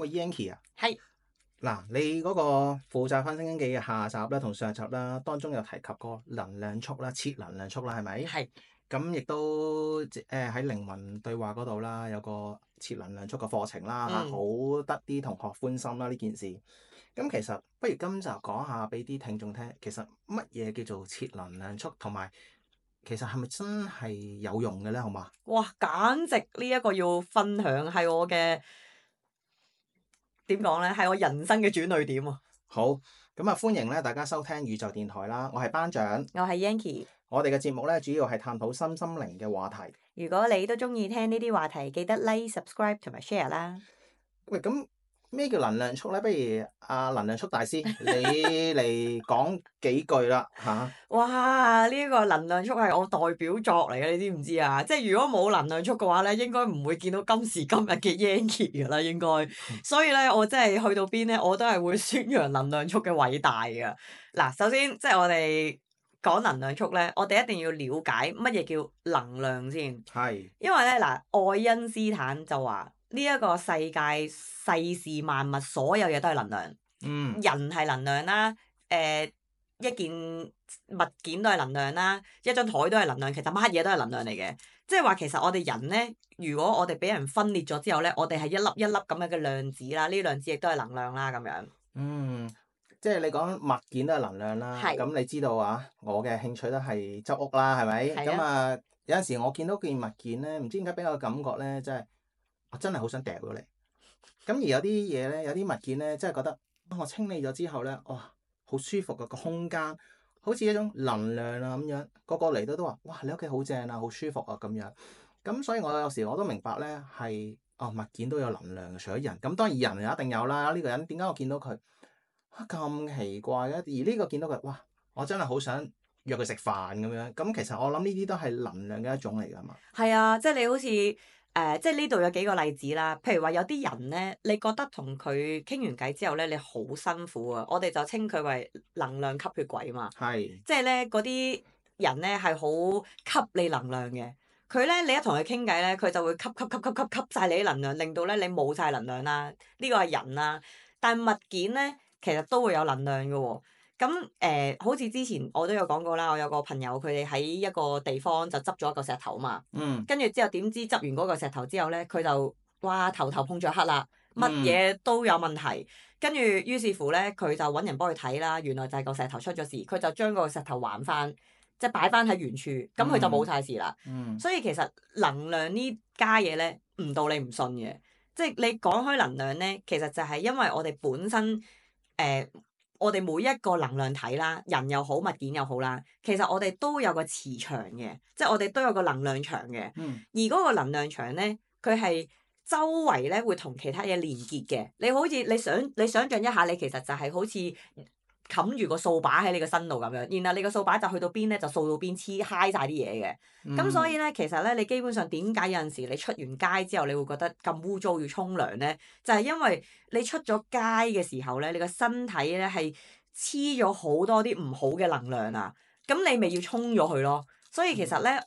喂 Yancy 啊，係嗱，你嗰個負責翻《星經記》嘅下集啦，同上集啦，當中有提及過能量束啦，設能量束啦，係咪？係咁亦都喺靈魂對話嗰度啦，有個設能量束嘅課程啦，好得啲同學歡心啦呢件事。咁其實不如今集講下俾啲聽眾聽，其實乜嘢叫做設能量束，同埋其實係咪真係有用嘅咧？好嘛？哇，簡直呢一個要分享係我嘅點講咧，係我人生嘅轉捩點啊！好，咁啊歡迎咧大家收聽宇宙電台啦，我係班長，我係 Yancy。我哋嘅節目咧主要係探討身心靈嘅話題。如果你都中意聽呢啲話題，記得 like、subscribe 同埋 share 啦。喂，咁咩叫能量束咧？不如能量束大師你嚟講幾句啦嚇。哇！呢個能量束係我代表作嚟嘅，你知唔知啊？即係如果冇能量束嘅話咧，應該唔會見到今時今日嘅 Yancy 噶啦，應該。所以咧，我真係去到邊咧，我都係會宣揚能量束嘅偉大嘅。嗱，首先即係我哋講能量束咧，我哋一定要了解乜嘢叫能量先。係。因為咧嗱，愛因斯坦就話呢一個世界世事萬物所有嘢都係能量。人係能量啦，一件物件都係能量啦，一張台都係能量，其實乜嘢都係能量嚟嘅。即係話其實我哋人咧，如果我哋俾人分裂咗之後咧，我哋係一粒一粒咁樣嘅量子啦，呢啲量子亦都係能量啦咁樣。即係你講物件都係能量啦。係。咁你知道啊，我嘅興趣都係執屋啦，係咪？係啊。咁啊，有陣時我見到件物件咧，唔知點解俾我嘅感覺咧，我真係好想掉咗你。咁而有啲嘢咧，有啲物件咧，真係覺得我清理咗之後咧，哇，好舒服嘅個空間，好似一種能量啊咁樣。個個嚟到都話：哇，你屋企好正啊，好舒服啊咁樣。咁所以我有時我都明白咧，係物件都有能量嘅，除咗人。咁當然人又一定有啦。呢個人點解我見到佢咁奇怪嘅？而呢個見到佢，哇，我真係好想約佢食飯咁樣。咁其實我諗呢啲都係能量嘅一種嚟㗎嘛。係啊，即係你好似即係呢度有幾個例子啦。譬如話有啲人咧，你覺得同佢傾完偈之後咧，你好辛苦啊。我哋就稱佢為能量吸血鬼嘛。係。即係咧嗰啲人咧係好吸你能量嘅。佢咧你一同佢傾偈咧，佢就會吸晒你啲能量，令到咧你冇晒能量啦。呢個係人啦，但係物件咧其實都會有能量嘅喎。咁好似之前我都有講過啦，我有個朋友佢哋喺一個地方就執咗一個石頭嘛。跟住之後點知執完嗰個石頭之後咧，佢就哇頭碰著黑啦，乜嘢都有問題。跟住於是乎咧，佢就揾人幫佢睇啦。原來就係個石頭出咗事，佢就將個石頭還翻，即係擺翻喺原處，咁佢就冇晒事啦。所以其實能量呢家嘢咧，唔到你唔信嘅。即係你講開能量咧，其實就係因為我哋本身我哋每一個能量體啦，人又好，物件又好啦，其實我哋都有個磁場嘅，即係我哋都有個能量場嘅。而嗰個能量場咧，佢係周圍咧會同其他嘢連結嘅。你好似你想像一下，你其實就係好似冚住個掃把喺你個身度咁樣，然後你個掃把就去到邊咧，就掃到邊黐嗨晒啲嘢嘅。咁所以咧，其實咧，你基本上點解有陣時你出完街之後，你會覺得咁污糟要沖涼咧？就係因為你出咗街嘅時候咧，你個身體咧係黐咗好多啲唔好嘅能量啊，咁你咪要沖咗佢咯。所以其實咧，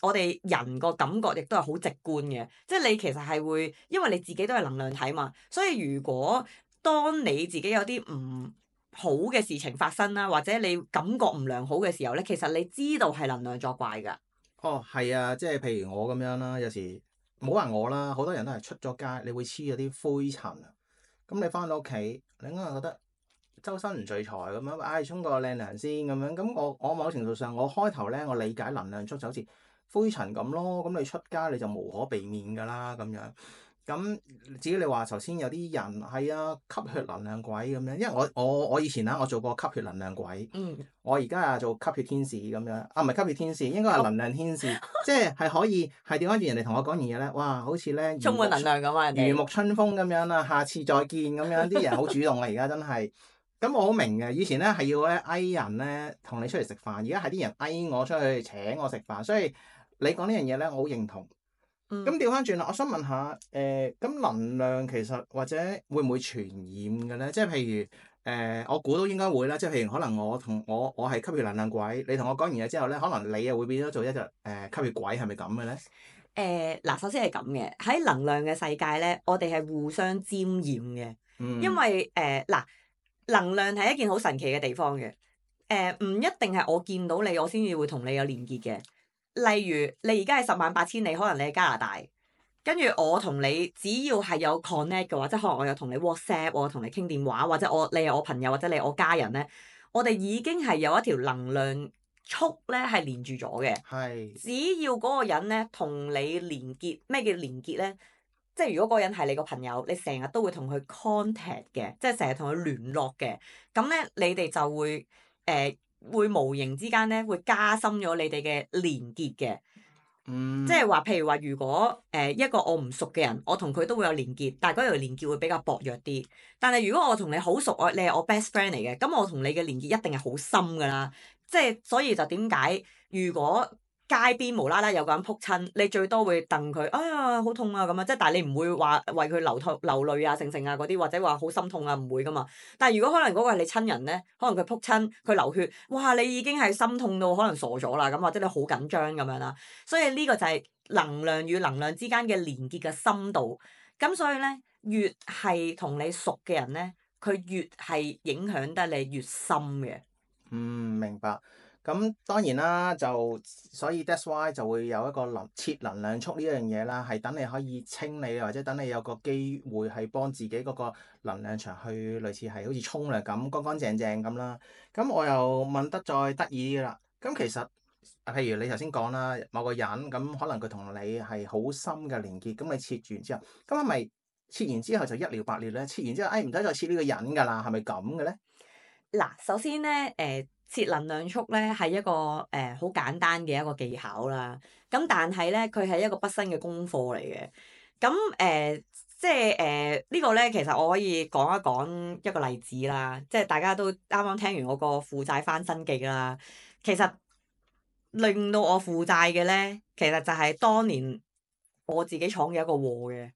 我哋人個感覺亦都係好直觀嘅，即係你其實係會，因為你自己都係能量體嘛，所以如果當你自己有啲唔好嘅事情發生啦，或者你感覺唔良好嘅時候咧，其實你知道係能量作怪㗎。哦，係啊，即係譬如我咁樣啦，有時冇話我啦，好多人都係出咗街，你會黐咗啲灰塵啊。咁你翻到屋企，你應該覺得周身唔聚財咁樣，沖個靚涼先咁樣。咁我某程度上，我開頭咧，我理解能量束就好似灰塵咁咯。咁你出街你就無可避免㗎啦咁樣。咁至於你話頭先有啲人係啊，吸血能量鬼咁樣，因為我以前我做過吸血能量鬼。我而家做吸血天使咁樣，唔係吸血天使，應該係能量天使，即係可以係調翻轉人哋同我講完嘢咧，哇，好似咧充滿能量咁啊！如沐春風咁樣啦，下次再見咁樣，啲人好主動啊，而家真係。咁我好明嘅，以前咧係要咧嗌人咧同你出嚟食飯，而家係啲人嗌我出去請我食飯，所以你講呢樣嘢咧，我好認同。咁調翻轉啦，我想問下，咁能量其實或者會唔會傳染嘅咧？即係譬如我估都應該會啦。即係譬如可能我係吸血能量鬼，你同我講完嘢之後咧，可能你又會變咗做一隻吸血鬼，係咪咁嘅咧？嗱，首先係咁嘅，喺能量嘅世界咧，我哋係互相沾染嘅，因嗯為嗱，能量係一件好神奇嘅地方嘅，唔一定係我見到你，我先至會同你有連結嘅。例如你而家係10萬8千里，可能你喺加拿大，跟住我同你只要係有 connect 嘅話，即係可能我有同你 WhatsApp，我有同你傾電話，或者你係我朋友，或者你係我家人咧，我哋已經係有一條能量束咧係連住咗嘅。係只要嗰個人咧同你連結，咩叫連結咧？即係如果嗰個人係你個朋友，你成日都會同佢 contact 嘅，即係成日同佢聯絡嘅。咁咧，你哋就會無形之間咧會加深咗你哋嘅連結嘅。即係話，譬如話，如果一個我唔熟嘅人，我同佢都會有連結，但係嗰條連結會比較薄弱啲。但係如果我同你好熟，你係我 best friend 嚟嘅，咁我同你嘅連結一定係好深㗎啦。即係所以就點解如果街邊無啦啦有個人撲親，你最多會戥佢，哎呀好痛啊咁啊！即係但係你唔會話為佢流淚啊、成啊嗰啲，或者話好心痛啊，唔會噶嘛。但係如果可能嗰個係你親人咧，可能佢撲親佢流血，哇！你已經係心痛到可能傻咗啦咁，或者你好緊張咁樣啦。所以呢個就係能量與能量之間嘅連結嘅深度。咁所以咧，越係同你熟嘅人咧，佢越係影響得你越深嘅。明白。咁當然啦，所以 that's why 就會有一個設能量束呢樣嘢啦，係等你可以清理，或者等你有個機會係幫自己嗰個能量場去類似係好似沖涼咁乾乾淨淨咁啦。咁我又問得再得意啲啦。咁其實譬如你頭先講啦，某個人咁可能佢同你係好深嘅連結，咁你切完之後，咁係咪切完之後就一了百了咧？切完之後，唔使再切呢個人㗎啦，係咪咁嘅咧？嗱，首先咧，設能量束咧係一個好簡單嘅一個技巧啦。咁但係咧，佢係一個畢生嘅功課嚟嘅。咁即係呢個咧，其實我可以講一講一個例子啦。即係大家都啱啱聽完我個負債翻身記啦。其實令到我負債嘅咧，其實就係當年我自己闖嘅一個禍嘅。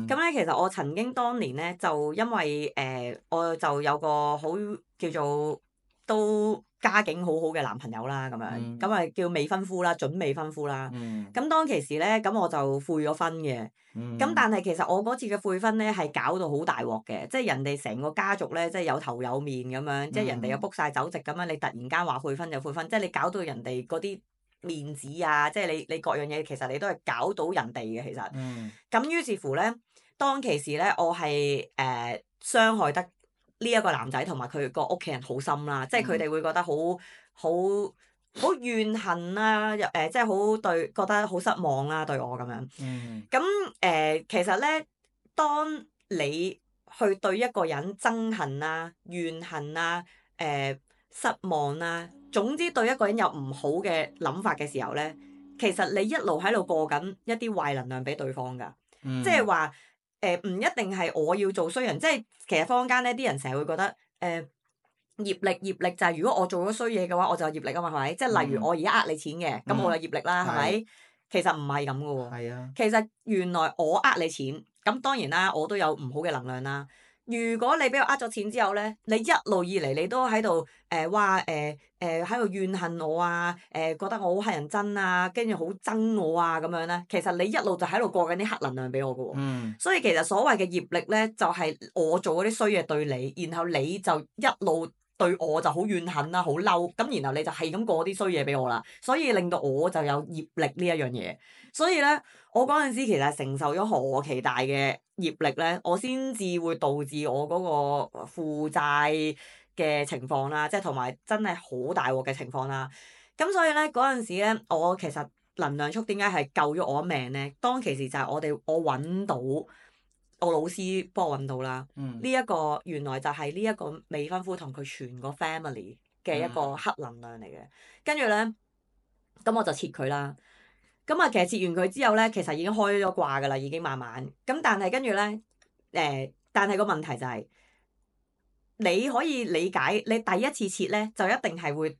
咁咧，其實我曾經當年咧，就因為我就有個好叫做都家境好好嘅男朋友啦，咁樣咁啊叫未婚夫啦，準未婚夫啦。咁當其時咧，咁我就悔咗婚嘅。咁但係其實我嗰次嘅悔婚咧係搞到好大鑊嘅，即係人哋成個家族咧，即係有頭有面咁樣，即係人哋又 book 晒酒席咁樣，你突然間話悔婚就悔婚，即係你搞到人哋嗰啲面子啊，即係你各樣嘢，其實你都係搞到人哋嘅其實。咁於是乎咧，當其時咧，我係傷害得呢一個男仔同埋佢個屋企人好深啦，即係佢哋會覺得好怨恨啦，即係覺得好失望啦對我咁樣。咁其實咧，當你去對一個人憎恨啦、怨恨啦、失望啦，總之對一個人有唔好嘅諗法嘅時候咧，其實你一路喺度過緊一啲壞能量俾對方㗎。即係話唔一定係我要做衰人，即係其實坊間咧啲人成日會覺得業力就係如果我做咗衰嘢嘅話，我就有業力啊嘛，係咪？即係例如我而家呃你錢嘅，咁我有業力啦，係咪？其實唔係咁嘅喎。係啊。其實原來我呃你錢，咁當然啦，我都有唔好嘅能量啦。如果你俾我呃咗錢之後咧，你一路以嚟你都喺度話喺度怨恨我啊，覺得我好乞人憎啊，跟住好憎我啊咁樣咧，其實你一路就喺度過緊啲黑能量俾我嘅喎。所以其實所謂嘅業力咧，就係我做嗰啲衰嘢對你，然後你就一路對我就好怨恨啦，好嬲，咁然後你就係咁過啲衰嘢俾我啦，所以令到我就有業力呢一樣嘢。所以咧，我嗰陣時其實承受咗何其大嘅業力咧，我先至會導致我嗰個負債嘅情況啦，即係同埋真係好大鑊嘅情況啦。咁所以咧，嗰陣時咧，我其實能量束點解係救咗我一命咧？當其時就係我揾到我老師幫我揾到啦。呢一個原來就係呢一個未婚夫同佢全個 family 嘅一個黑能量嚟嘅。跟住咧，咁我就切佢啦。咁啊，其實切完佢之後咧，其實已經開咗掛㗎啦，已經慢慢。咁但係跟住咧，但係個問題就係，你可以理解，你第一次切咧，就一定係會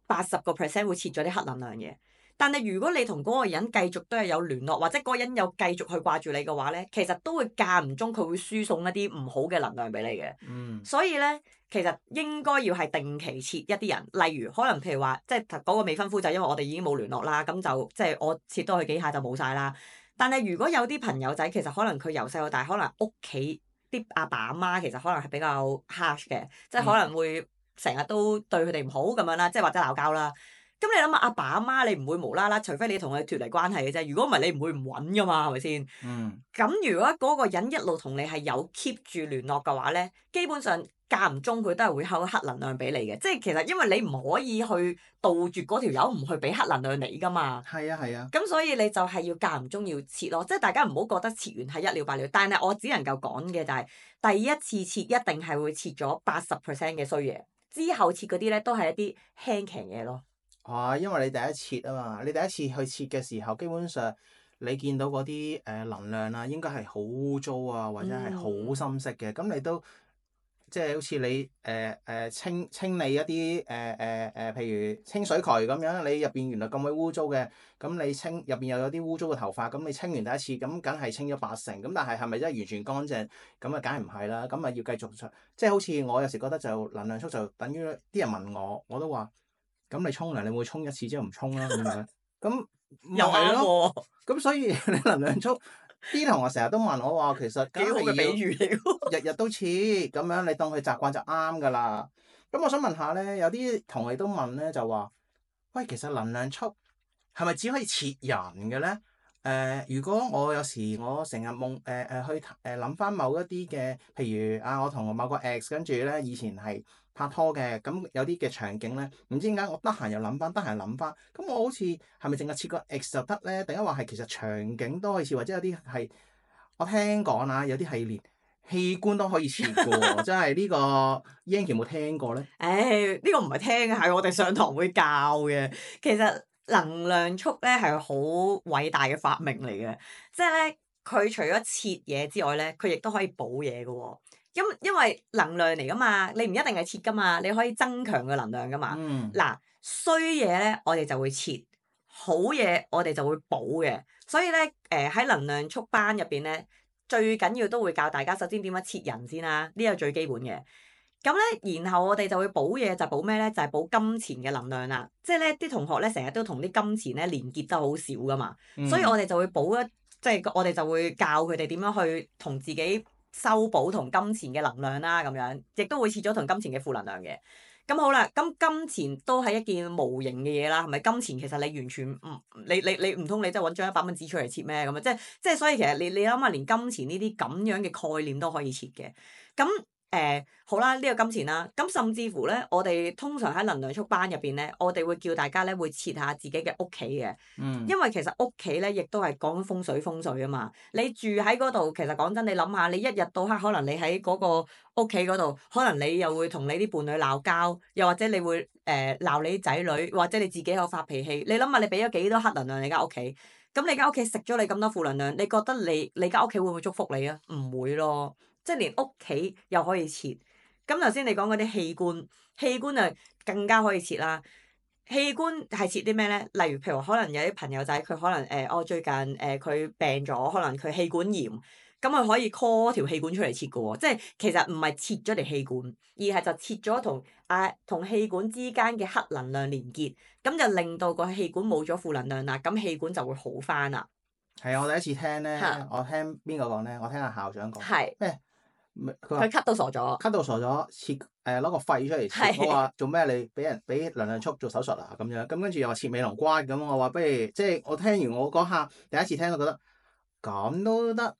80%會切咗啲黑能量嘅。但係如果你同嗰個人繼續都係有聯絡，或者嗰個人有繼續去掛住你嘅話咧，其實都會間唔中佢會輸送一啲唔好嘅能量俾你嘅。所以咧，其實應該要係定期切一啲人，例如可能譬如話，即係嗰個未婚夫就因為我哋已經冇聯絡啦，咁就即係我切多佢幾下就冇晒啦。但係如果有啲朋友仔，其實可能佢由細到大，可能屋企啲阿爸阿媽其實可能係比較 harsh 嘅，即係可能會成日都對佢哋唔好咁樣啦，即係或者鬧交啦。咁你諗下，阿爸阿媽你唔會無啦啦，除非你同佢脫離關係嘅啫。如果唔係，你唔會唔揾噶嘛，係咪先？咁如果嗰個人一路同你係有 keep 住聯絡嘅話咧，基本上間唔中佢都係會有黑能量俾你嘅。即係其實因為你唔可以去杜絕嗰條友唔去俾黑能量你噶嘛。係啊係啊。咁所以你就係要間唔中要切咯，即係大家唔好覺得切完係一了百了。但係我只能夠講嘅就係第一次切一定係會切咗80% 嘅衰嘢，之後切嗰啲咧都係一啲輕騎嘢咯。因為你第一切啊嘛，你第一次去切嘅時候，基本上你見到嗰啲能量啊，應該係好污糟啊，或者係好深色嘅，咁你都即係好似你清理一啲譬如清水渠咁樣，你入邊原來咁鬼污糟嘅，咁你清入邊又有啲污糟嘅頭髮，咁你清完第一次，咁梗係清咗80%，咁但係係咪真係完全乾淨？咁啊，梗係唔係啦，咁啊要繼續即係好似我有時覺得就能量束就等於啲人問我都話。咁你沖涼，你會沖一次之後唔沖啦咁樣，咁又係咯。咁所以你能量束啲同學成日都問我話，其實幾好嘅比喻嚟喎。日日都切咁樣，你當佢習慣就啱㗎啦。咁我想問下咧，有啲同學都問咧，就話：喂，其實能量束係咪只可以切人嘅咧？如果我有時我成日夢去諗翻某一啲嘅，譬如我同某個 ex 跟住咧以前係拍拖嘅，咁有啲嘅場景咧，唔知點解我得閒又諗翻，咁我好似係咪淨係切個 ex 就得咧？定係話係其實場景都可以切，或者有啲係我聽講啊，有啲係連器官都可以切嘅喎，真係呢個 Yankie 有冇聽過咧？呢個唔係聽嘅，係我哋上堂會教嘅。其實能量束咧係好偉大嘅發明嚟嘅，即係咧佢除咗切嘢之外咧，佢亦都可以補嘢嘅喎。因為能量嚟噶嘛，你唔一定係切噶嘛，你可以增強個能量噶嘛。嗱，衰嘢咧我哋就會切，好嘢我哋就會補嘅。所以咧喺能量束班入邊咧，最緊要都會教大家首先點樣切人先啦，呢個最基本嘅。咁咧，然後我哋就會補嘢，就補咩咧？就係補金錢嘅能量啦。即係咧，啲同學咧成日都同啲金錢咧連結得好少噶嘛，所以我哋就會補一，即係我哋就會教佢哋點樣去同自己修補同金錢嘅能量啦，咁樣亦都會切咗同金錢嘅負能量嘅。咁好啦，咁金錢都係一件無形嘅嘢啦，係咪？金錢其實你完全唔，你唔通你真係揾張100蚊紙出嚟切咩？咁啊，即係所以其實你諗下，連金錢呢啲咁樣嘅概念都可以切嘅，咁。好啦，呢個金錢啦，咁甚至乎咧，我哋通常喺能量束班入邊咧，我哋會叫大家咧會切下自己嘅屋企嘅，因為其實屋企咧亦都係講風水啊嘛。你住喺嗰度，其實講真，你諗下，你一日到黑可能你喺嗰個屋企嗰度，可能你又會同你啲伴侶鬧交，又或者你會鬧你啲仔女，或者你自己有發脾氣。你諗下，你俾咗幾多黑能量你間屋企？咁你間屋企食咗你咁多負能量，你覺得你間屋企會唔會祝福你啊？唔會咯。即係連屋企又可以切，咁頭先你講嗰啲器官啊更加可以切啦。器官係切啲咩咧？例如譬如可能有啲朋友仔佢可能我最近佢病咗，可能佢氣管炎，咁佢可以 call 條氣管出嚟切嘅喎。即係其實唔係切咗條氣管，而係就切咗同氣管之間嘅黑能量連結，咁就令到個氣管冇咗負能量啦，咁氣管就會好返啦。係啊，我第一次聽咧，我聽邊個講咧？我聽阿校長講咩？佢咳到傻咗，切攞個肺出嚟切。我話做咩？你俾能量束做手術啊？咁樣咁跟住又話切尾龍骨咁。我話不如即係我聽完我嗰下第一次聽都覺得咁都得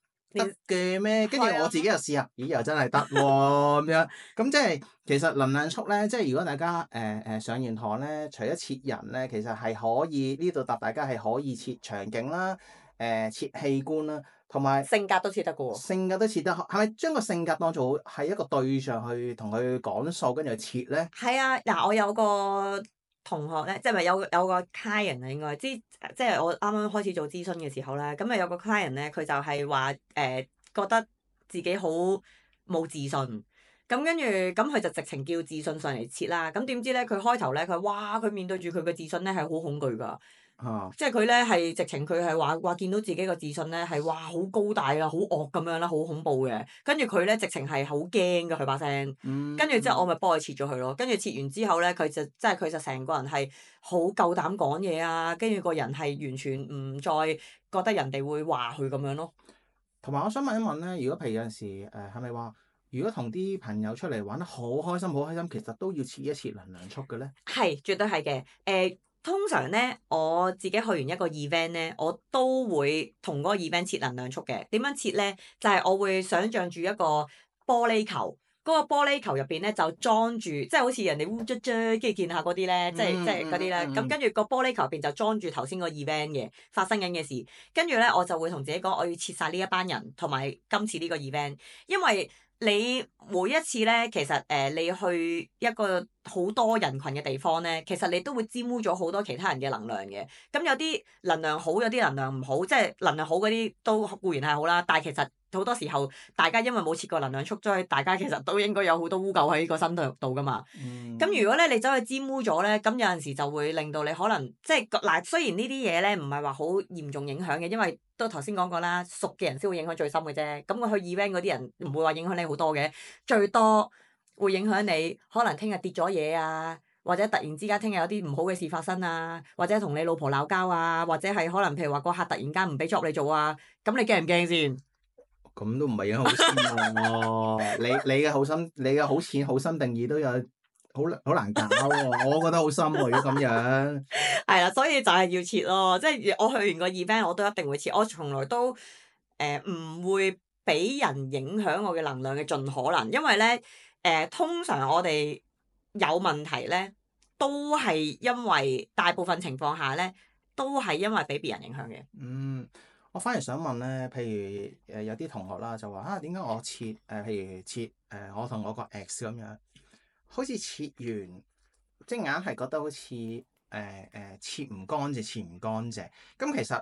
嘅咩？跟住我自己又試下，咦又真係得喎咁樣。咁即係其實能量束咧，即係如果大家上完堂咧，除咗切人咧，其實係可以呢度答大家係可以切場景啦，切器官啦。同埋性格都切得嘅喎，性格都切得，係咪將個性格當做係一個對象去同佢講數，跟住去切咧？係啊，嗱，我有個同學咧，即係咪有個 client 啊？應該即係我啱啱開始做諮詢嘅時候咧，咁啊有個 client 咧，佢就係話覺得自己好冇自信，咁跟住咁佢就直情叫自信上嚟切啦。咁點知咧，佢開頭咧，佢面對住佢嘅自信咧係好恐懼㗎。即係佢咧係直情佢係話見到自己個自信咧係哇好高大啊，好惡咁樣啦，好恐怖嘅。跟住佢咧直情係好驚㗎佢把聲。跟住之後我咪幫佢切咗佢咯。跟住切完之後咧，佢就成個人係好夠膽講嘢啊，跟住個人係完全唔再覺得人哋會話佢咁樣咯。同埋我想問一問咧，如果譬如有陣時係咪話，如果同啲朋友出嚟玩得好開心，好開心，其實都要切一切能量束嘅咧？係，絕對係嘅。通常咧，我自己去完一個 event 咧，我都會同嗰個 event 切能量束嘅。點樣切咧？就係我會想像住一個玻璃球，嗰個玻璃球入邊咧就裝住，即係好似人哋烏卒卒跟住見下嗰啲咧，即係嗰啲咧。咁跟住個玻璃球入邊就裝住頭先個 event 嘅發生緊嘅事。跟住咧，我就會同自己講，我要切晒呢一班人同埋今次呢個 event，因為你每一次咧，其實你去一個好多人群嘅地方咧，其實你都會沾污咗好多其他人嘅能量嘅。咁有啲能量好，有啲能量唔好，即係能量好嗰啲都固然係好啦，但係其實好多時候大家因為冇切過能量束，所以大家其實都應該有好多污垢喺個身度噶嘛。咁如果咧你走去沾污咗咧，咁有陣時就會令到你可能即係嗱，雖然呢啲嘢咧唔係話好嚴重影響嘅，因為都頭先講過啦，熟嘅人先會影響最深嘅啫。咁我去 event 嗰啲人唔會話影響你好多嘅，最多會影響你可能聽日跌咗嘢啊，或者突然之間聽日有啲唔好嘅事發生啊，或者同你老婆鬧交啊，或者係可能譬如話個客突然間唔俾 job 你做啊，咁你驚唔驚先？咁都唔係影響好深喎。你嘅好心，你嘅好淺好深定義都有好難搞喎。我覺得好深喎，如果咁樣。係啦，所以就係要切咯，即係我去完個 event 我都一定會切，我從來都唔會俾人影響我嘅能量嘅盡可能，因為咧通常我哋有問題咧，都係因為大部分情況下咧，都係因為俾別人影響嘅。我反而想問咧，譬如有啲同學啦就話點解我切譬如切我同我個 ex 咁樣，好似切完即係硬係覺得好似切唔乾淨，切唔乾淨。咁其實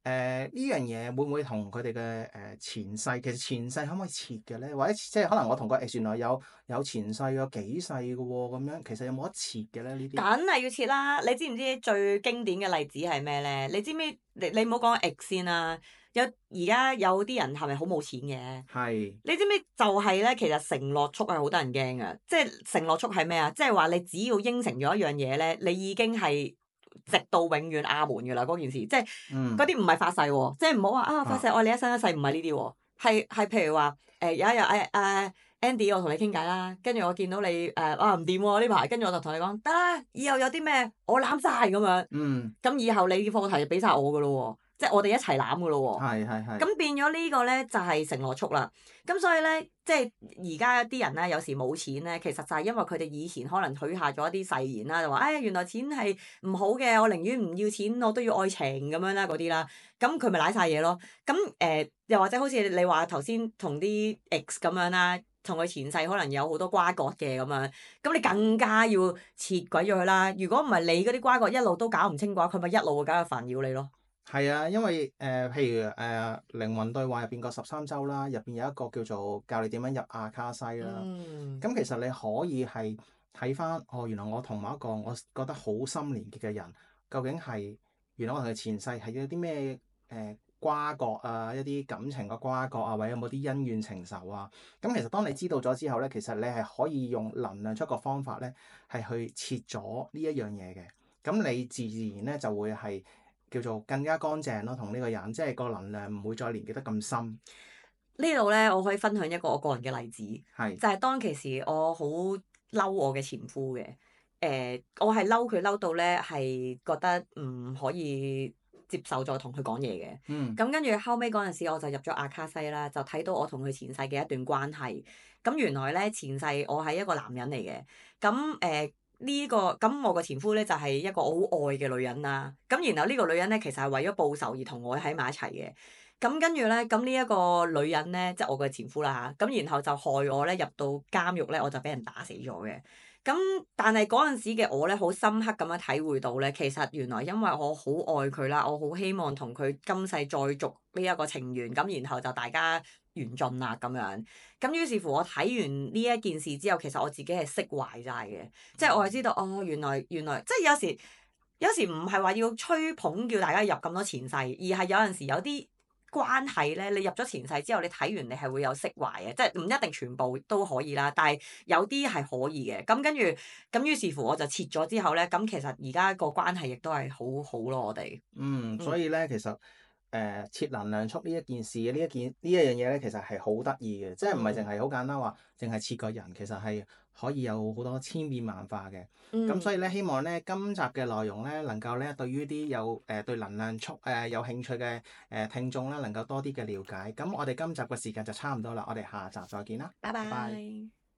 呢樣嘢會唔會同佢哋嘅前世，其實前世可唔可以切嘅咧？或者即係可能我同個 ex 原來有前世有幾世嘅喎，咁樣其實有冇得切嘅咧？呢啲梗係要切啦！你知唔知最經典嘅例子係咩咧？你知唔知？你唔好講 ex 先啦。而家有啲人係咪好冇錢嘅？係。你知唔知就係咧？其實承諾束係好得人驚嘅，即係承諾束係咩啊？即係話你只要應承咗一樣嘢咧，你已經係直到永遠阿門㗎啦！嗰件事即係嗰啲唔係發誓喎，即係唔好話發誓愛你一生一世，唔係呢啲喎，係譬如話有一日Andy 我同你傾偈啦，跟住我見到你唔掂喎呢排，跟住我就同你講得啦，以後有啲咩我攬晒咁樣。咁以後你啲課題就俾晒我㗎咯喎，即係我哋一齊攬㗎咯喎。係。咁變咗呢個咧就係承諾束啦。咁所以咧，即係而家啲人咧有時冇錢咧，其實就係因為佢哋以前可能許下咗一啲誓言啦，就話原來錢係唔好嘅，我寧願唔要錢，我都要愛情咁樣啦嗰啲啦。咁佢咪賴晒嘢咯。咁又或者好似你話頭先同啲 ex 咁樣啦。同佢前世可能有好多瓜葛嘅咁樣，咁你更加要切鬼咗佢啦。如果唔係你嗰啲瓜葛一路都搞唔清嘅話，佢咪一路會搞到煩擾你咯。係啊，因為譬如靈魂對話入邊個13週啦，入邊有一個叫做教你點樣入阿卡西啦。咁其實你可以係睇翻原來我同某一個我覺得好深連結嘅人，究竟係原來我同佢前世係有啲咩瓜葛啊，一啲感情嘅瓜葛啊，或者有冇啲恩怨情仇啊？咁其實當你知道咗之後咧，其實你係可以用能量出個方法咧，係去切咗呢一樣嘢嘅。咁你自然咧就會係叫做更加乾淨咯，同呢個人即係個能量唔會再連結得咁深。呢度咧，我可以分享一個我個人嘅例子，就係當其時我好嬲我嘅前夫嘅。我係嬲佢嬲到咧係覺得唔可以接受再同佢講嘢嘅。咁跟住後尾嗰陣時，我就入咗阿卡西啦，就睇到我同佢前世嘅一段關係。咁原來咧前世我係一個男人嚟嘅。咁咁我個前夫咧就係一個我好愛嘅女人啦。咁然後呢個女人咧其實係為咗報仇而同我喺埋一齊嘅。咁跟住咧，咁呢一個女人咧，即係我嘅前夫啦嚇。咁然後就害我咧入到監獄咧，我就俾人打死咗嘅。咁但係嗰陣時嘅我咧，好深刻咁樣體會到咧，其實原來因為我好愛佢啦，我好希望同佢今世再續呢一個情緣，咁然後就大家緣盡啦咁樣。咁於是乎我睇完呢一件事之後，其實我自己係釋懷晒嘅，即係我係知道原來即係有時有時唔係話要吹捧叫大家入咁多前世，而係有陣時有啲關係咧，你入咗前世之後，你睇完你係會有釋懷嘅，即係唔一定全部都可以啦，但係有啲係可以嘅。咁跟住咁於是乎我就切咗之後咧，咁其實而家個關係亦都係好好咯，我哋。所以咧其實切能量束呢一件事，呢一樣嘢咧，其實係好得意嘅，即係唔係淨係好簡單話，淨係切個人，其實係可以有好多千變萬化嘅。咁所以咧，希望咧今集嘅內容咧，能夠咧對於啲有對能量束有興趣嘅聽眾咧，能夠多啲嘅了解。咁我哋今集嘅時間就差唔多啦，我哋下集再見啦，拜拜拜。拜。